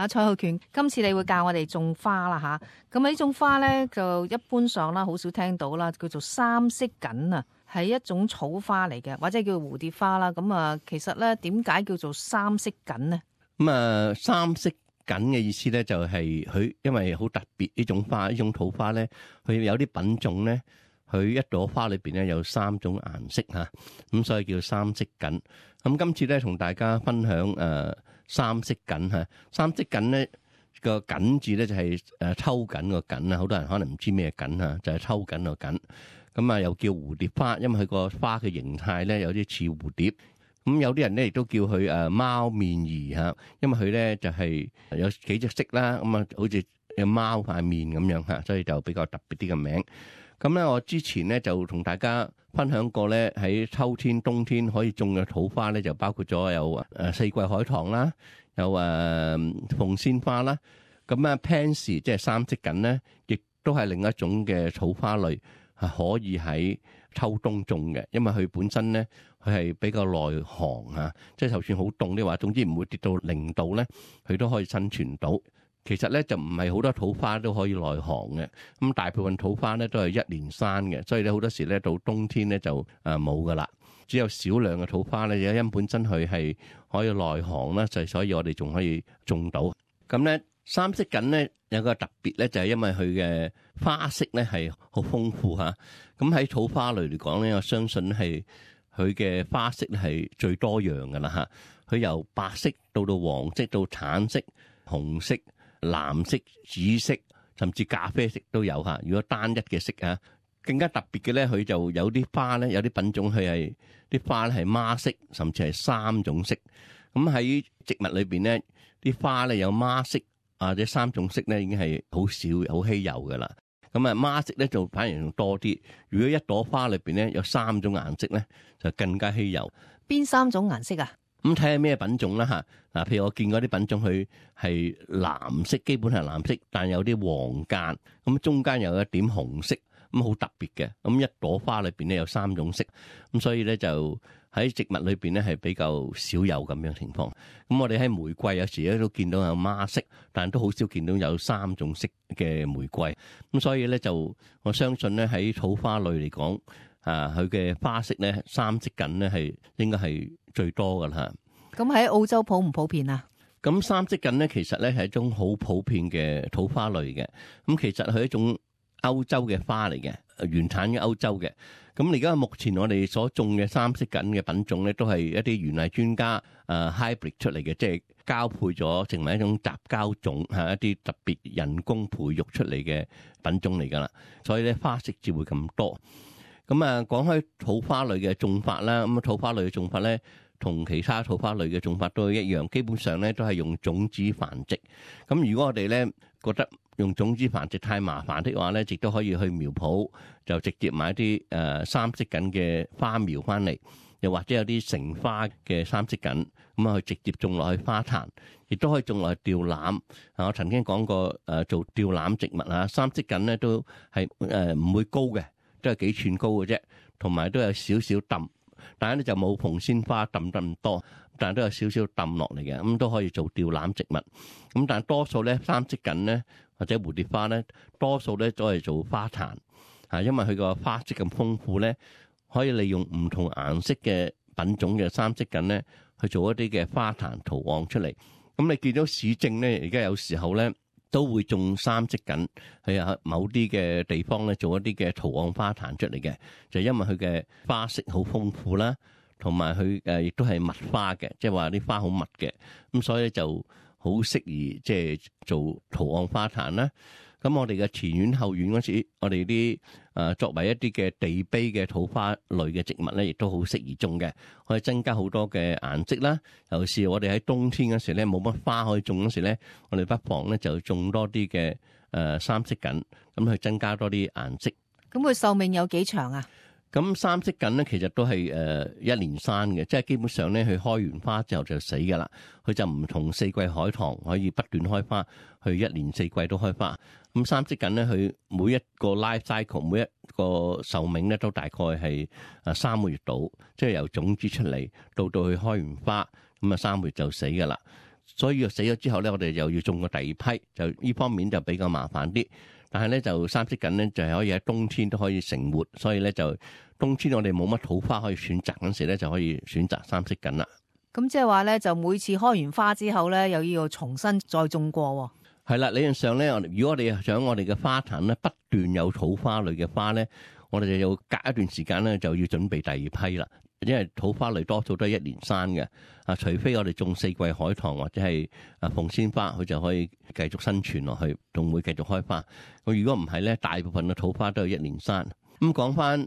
蔡浩權，今次你會教我哋種花啦吓，咁呢種花咧就一般上啦，好少聽到啦，叫做三色堇啊，係一種草花嚟嘅，或者叫蝴蝶花啦。咁啊，其實咧點解叫做三色堇呢？三色堇嘅意思咧就係佢因為好特別呢種花，呢種土花咧，佢有啲品種咧，佢一朵花裏邊咧有3種顏色吓，咁所以叫三色堇。咁今次咧同大家分享三色堇吓，三色堇咧個堇字咧就係抽緊個緊啊，好多人可能唔知咩緊啊，就係抽緊個緊。咁啊又叫蝴蝶花，因為佢個花嘅形態咧有啲似蝴蝶。咁有啲人咧亦都叫佢貓面兒吓，因為佢咧就係有幾隻色啦，咁啊好似有貓塊面咁樣吓，所以就比較特別啲嘅名。咁咧我之前咧就同大家分享過咧，喺秋天、冬天可以種嘅土花咧，就包括咗有四季海棠啦，有鳳仙花啦。咁Pansy 即係三色堇咧，亦都係另一種嘅草花類，係可以喺秋冬種嘅，因為佢本身咧佢係比較耐寒啊，即係就算好凍嘅話，總之唔會跌到0度咧，佢都可以生存到。其實咧就唔係好多土花都可以耐寒嘅，咁大部分土花咧都係1年生嘅，所以咧好多時咧到冬天咧就冇噶啦，只有少量嘅土花咧，因本身佢係可以耐寒啦，就所以我哋仲可以種到。咁咧三色堇咧有個特別咧，就係因為佢嘅花色咧係好豐富嚇。咁喺草花類嚟講咧，我相信係佢嘅花色係最多樣噶啦嚇。佢由白色到黃色到橙色、紅色、藍色、紫色，甚至咖啡色都有嚇。如果單一嘅色嚇，更加特別嘅咧，佢就有啲花咧，有啲品種佢係啲花咧係孖色，甚至係3種色。咁喺植物裏邊咧，啲花咧有孖色或者3種色咧，已經係好少、好稀有噶啦。咁孖色咧就反而仲多啲。如果一朵花裏邊咧有3種顏色咧，就更加稀有。邊3種顏色啊？咁睇下咩品種啦嚇。嗱，譬如我見嗰啲品種，佢係藍色，基本係藍色，但有啲黃間，咁中間有一點紅色，咁好特別嘅。咁一朵花裏邊咧有3種色，咁所以咧就喺植物裏邊咧係比較少有咁樣情況。咁我哋喺玫瑰有時咧都見到有孖色，但都好少見到有3種色嘅玫瑰。咁所以咧就我相信咧喺草花類嚟講，佢嘅花色咧三色堇咧係應該係最多噶啦。咁喺澳洲普唔普遍啊？咁三色堇咧其實咧係一種好普遍嘅土花類嘅。咁其實係一種歐洲嘅花嚟嘅，原產於歐洲嘅。咁而家目前我哋所種嘅三色堇嘅品種咧，都係一啲園藝專家hybrid 出嚟嘅，即係交配咗成為一種雜交種，係一啲特別人工培育出嚟嘅品種嚟噶啦。所以咧花色至會咁多。咁講開土花類嘅種法啦，咁土花類嘅種法咧，同其他土花類嘅種法都一樣，基本上咧都係用種子繁殖。咁如果我哋咧覺得用種子繁殖太麻煩的話咧，亦都可以去苗圃就直接買啲三色堇嘅花苗翻嚟，又或者有啲成花嘅三色堇，咁啊去直接種落去花壇，亦都可以種落去吊籃。我曾經講過做吊籃植物啊，三色堇咧都係唔會高嘅，都係幾寸高嘅啫，同埋都有少少揼。但係咧就冇鳳仙花揼得咁多，但係都有少少揼落嚟嘅，咁都可以做吊籃植物。咁但係多數咧三色堇咧或者蝴蝶花咧，多數咧都係做花壇，因為佢個花色咁豐富咧，可以利用唔同顏色嘅品種嘅三色堇咧去做一啲嘅花壇圖案出嚟。咁你見到市政咧，而家有時候咧都會種三色堇喺某啲嘅地方咧做一啲嘅圖案花壇出嚟嘅，就因為佢嘅花色好豐富啦，同埋佢亦都係密花嘅，即係話啲花好密嘅，咁所以咧就好適宜即係做圖案花壇啦。咁我哋嘅前院後院嗰時，我哋啲作為一啲嘅地碑嘅土花類嘅植物咧，亦都好適宜種嘅，可以增加好多嘅顏色啦。尤其是我哋喺冬天嗰時咧冇乜花可以種嗰時咧，我哋不妨咧就種多啲嘅三色堇，咁去增加多啲顏色。咁佢壽命有幾長啊？咁三色堇咧其實都係1年生嘅，即係基本上咧佢開完花之後就死噶啦。佢就唔同四季海棠可以不斷開花，佢1年4季都開花。咁三色堇咧佢每一個 life cycle 每一個壽命咧都大概係3個月到，即係由種子出嚟到佢開完花，咁3個月就死噶啦。所以死咗之後咧，我哋又要種個第二批，就呢方面就比較麻煩啲。但係咧就三色堇咧就係可以喺冬天都可以成活，所以咧就冬天我哋冇乜土花可以選擇嗰時咧，就可以選擇三色堇啦。咁即係話咧，就每次開完花之後咧，又要重新再種過。係啦，理論上咧，如果我哋想我哋嘅花壇咧不斷有土花類嘅花咧，我哋就要隔一段時間咧就要準備第二批啦。因為土花類多數都係一年生嘅，除非我哋種四季海棠或者係鳳仙花，佢就可以繼續生存落去，仲會繼續開花。如果唔係咧，大部分嘅土花都係一年生。咁講翻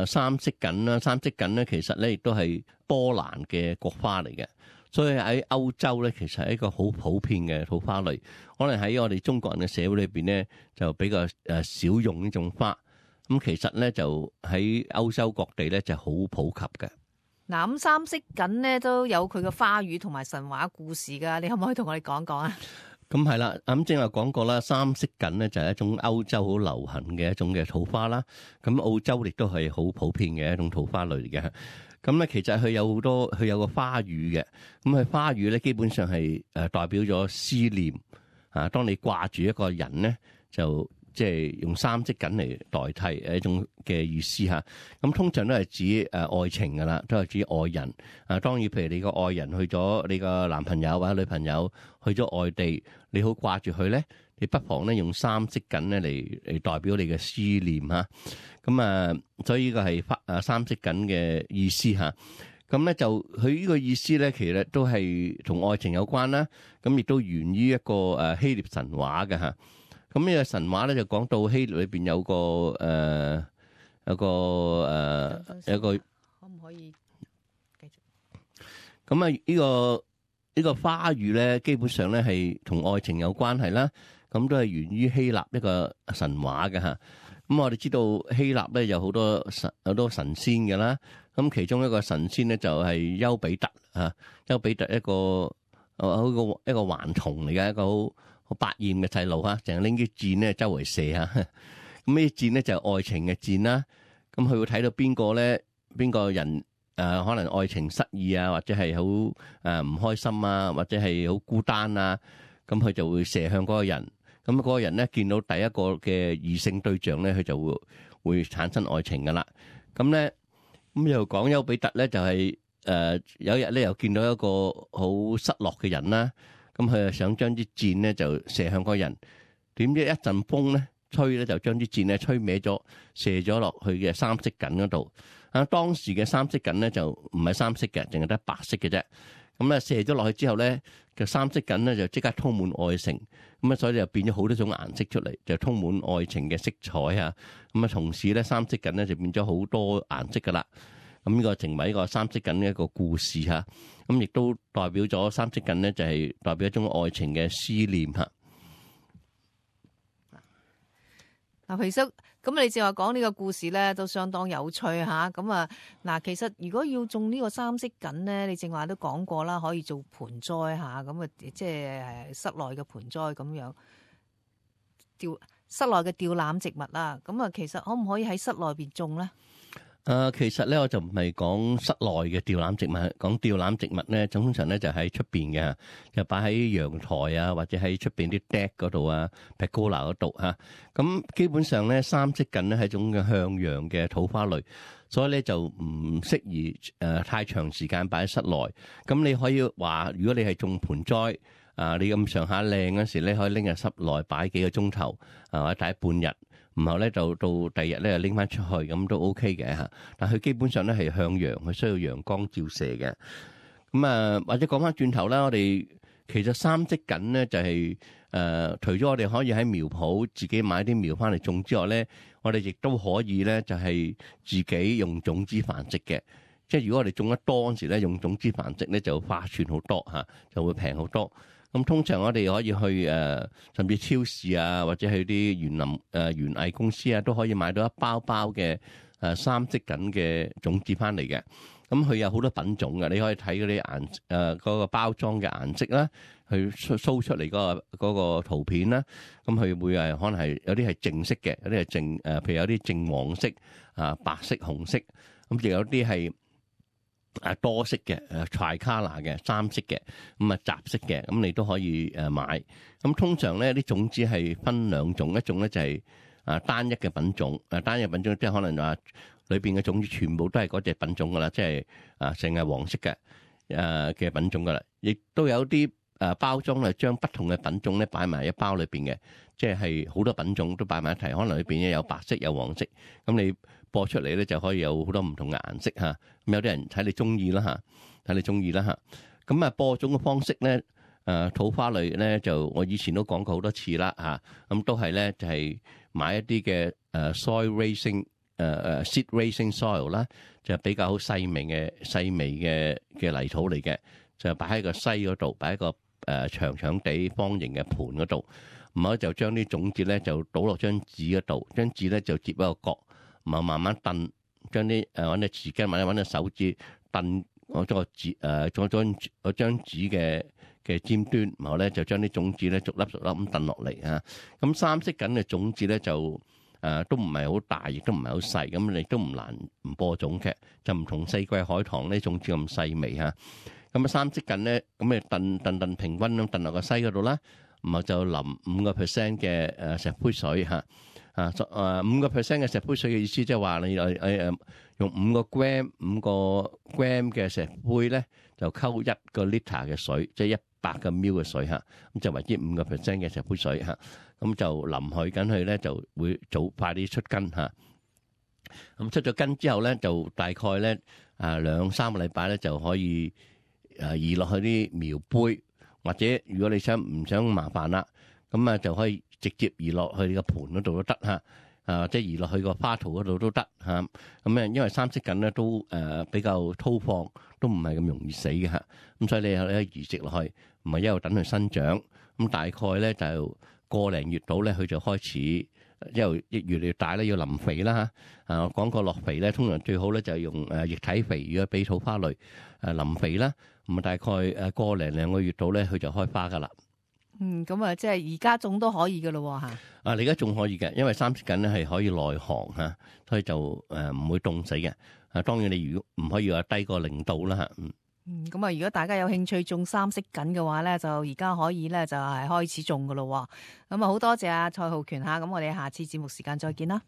三色堇啦，三色堇咧其實咧亦都係波蘭嘅國花嚟嘅，所以喺歐洲咧其實係一個好普遍嘅土花類。可能喺我哋中國人嘅社會裏邊咧就比較少用呢種花。咁其實咧就喺歐洲各地咧就好普及嘅。嗱，咁三色堇咧都有佢嘅花語同埋神話故事噶，你可唔可以同我哋講講啊？咁係啦，咁正話講過啦，三色堇咧就係一種歐洲好流行嘅一種嘅土花啦。咁澳洲亦都係好普遍嘅一種土花類嘅。咁咧其實佢有好多，佢有個花語嘅。咁佢花語咧基本上係代表咗思念啊。當你掛住一個人咧，就即係用三色堇嚟代替一種嘅意思嚇。咁通常都係指愛情噶啦，都係指愛人。當然譬如你個愛人去咗，你個男朋友或者女朋友去咗外地，你好掛住佢咧，你不妨咧用三色堇咧嚟代表你嘅思念嚇。咁所以呢個係三色堇嘅意思嚇。咁咧就佢呢個意思咧，其實都係同愛情有關啦。咁亦都源於一個希臘神話嘅嚇。咁呢個神話咧就講到希臘裏邊有個可唔可以繼續？咁呢個花語咧，基本上咧係同愛情有關係啦。咁都係源於希臘一個神話嘅嚇。咁我哋知道希臘咧有好多神仙嘅啦。咁其中一個神仙咧就係丘比特啊。丘比特一個頑童嚟嘅，一個好百厭嘅細路嚇，成日拎啲箭咧周圍射嚇。咁呢啲箭咧就係愛情嘅箭啦。咁佢會睇到邊個人可能愛情失意啊，或者係好唔開心啊，或者係好孤單啊，咁佢就會射向嗰個人。咁嗰個人咧見到第一個嘅異性對象咧，佢就會產生愛情噶啦。咁又講丘比特咧就係有一日咧又見到一個好失落嘅人啦。咁佢就想將啲箭咧就射向嗰個人，點知一陣風咧吹咧就將啲箭咧吹歪咗，射咗落去嘅三色堇嗰度。當時嘅三色堇咧就唔係三色嘅，淨係得白色嘅啫。咁咧射咗落去之後咧，個三色堇咧就即刻充滿愛情。咁所以就變咗好多種顏色出嚟，就充滿愛情嘅色彩啊。咁同時咧三色堇咧就變咗好多顏色噶啦。咁呢個成為一個三色堇嘅一個故事嚇。咁亦都代表咗三色堇咧就係代表一種愛情嘅思念嚇。嗱，皮叔，咁你正話講呢個故事咧，都相當有趣嚇。咁嗱，其實如果要種呢個三色堇咧，你正話都講過啦，可以做盆栽嚇，咁即係室內嘅盆栽咁樣，室內嘅吊籃植物啦。咁其實可唔可以喺室內邊種咧？其實咧我就唔係講室內嘅吊籃植物，講吊籃植物咧，通常咧就喺出邊嘅，就擺喺陽台啊，或者喺出邊啲 deck 嗰度啊，pergola 嗰度嚇。咁基本上咧，三色堇咧係一種嘅向陽嘅土花類，所以咧就唔適宜太長時間擺喺室內。咁你可以話，如果你係種盆栽你咁上下靚嗰時咧，可以拎入室內擺幾個鐘頭或者擺半日。然後咧就到第二日咧拎翻出去，咁都 OK 嘅嚇。但佢基本上咧係向陽，佢需要陽光照射嘅。咁或者講翻轉頭啦，我哋其實三色堇咧就係除咗我哋可以喺苗圃自己買啲苗翻嚟種之外咧，我哋亦都可以咧就係自己用種子繁殖嘅。即係如果我哋種得多嗰時咧，用種子繁殖咧就划算好多嚇，就會平好多。咁通常我哋可以去甚至超市啊，或者去啲園藝公司啊，都可以買到一包包嘅三色堇嘅種子翻嚟嘅。咁佢有好多品種嘅，你可以睇嗰啲嗰個包裝嘅顏色啦，去show出嚟嗰個圖片啦。咁佢會可能係有啲係淨色嘅，有啲係淨譬如有啲淨黃色白色、紅色。咁亦有啲係多色嘅tricolor 嘅3色嘅，咁雜色嘅，咁你都可以買。咁通常咧啲種子係分兩種，一種咧就係單一嘅品種，單一嘅品種即係可能話裏邊嘅種子全部都係嗰隻品種噶啦，即係成係黃色嘅嘅品種噶啦。亦都有啲包裝係將不同嘅品種咧擺埋一包裏邊嘅，即係好多品種都擺埋一齊，可能裏邊咧有白色有黃色，咁你播出嚟咧就可以有好多唔同嘅顏色嚇。咁有啲人睇你中意啦嚇，睇你中意啦嚇。咁播種嘅方式咧，土花類咧就我以前都講過好多次啦嚇。咁都係咧就係買一啲嘅soil raising seed raising soil 啦，就比較好細微嘅泥土嚟嘅，就擺喺個篩嗰度，擺喺個長長地方形嘅盤嗰度，唔好就將啲種子咧就倒落張紙嗰度，張紙咧就接一個角，唔好慢慢燉，將啲揾隻匙羹或者揾隻手指燉嗰個紙嗰張紙嘅尖端，然後咧就將啲種子咧逐粒咁燉落嚟啊。咁3色緊嘅種子咧就都唔係好大，亦都唔係好細，咁你都唔難唔播種嘅，就唔同四季海棠呢種子咁細微嚇。咁3色緊咧，咁你燉平均咁燉落個篩嗰度啦，然後就淋5% 嘅石灰水嚇，5% 嘅石灰水嘅意思即係話你用5 gram 嘅石灰咧，就溝1 liter 嘅水，即係100 ml 嘅水嚇，咁就為之5% 嘅石灰水嚇，咁就淋佢緊去咧就會快啲出根嚇。咁出咗根之後咧，就大概咧2-3個禮拜咧就可以移落去啲苗杯，或者如果你唔想麻煩啦，咁就可以直接移落去你個盤嗰度都得嚇，即係移落去個花槽嗰度都得嚇。咁因為3色緊咧都比較粗放，都唔係咁容易死嘅嚇。咁所以你可以移植落去，唔係一路等佢生長。咁大概咧就個零月到咧，佢就開始一路越嚟越大咧，要淋肥啦嚇。我講過落肥咧，通常最好咧就係用液體肥，如果俾土花類淋肥啦。咁大概個零2個月到咧，佢就開花噶啦。咁即係而家種都可以噶咯嚇。你而家種可以嘅，因為3色緊咧係可以耐寒嚇，所以就唔會凍死嘅。當然你如果唔可以話低過0度啦嚇。咁如果大家有興趣種3色緊嘅話咧，就而家可以咧就係開始種噶咯。咁好多謝蔡浩權嚇，咁我哋下次節目時間再見啦。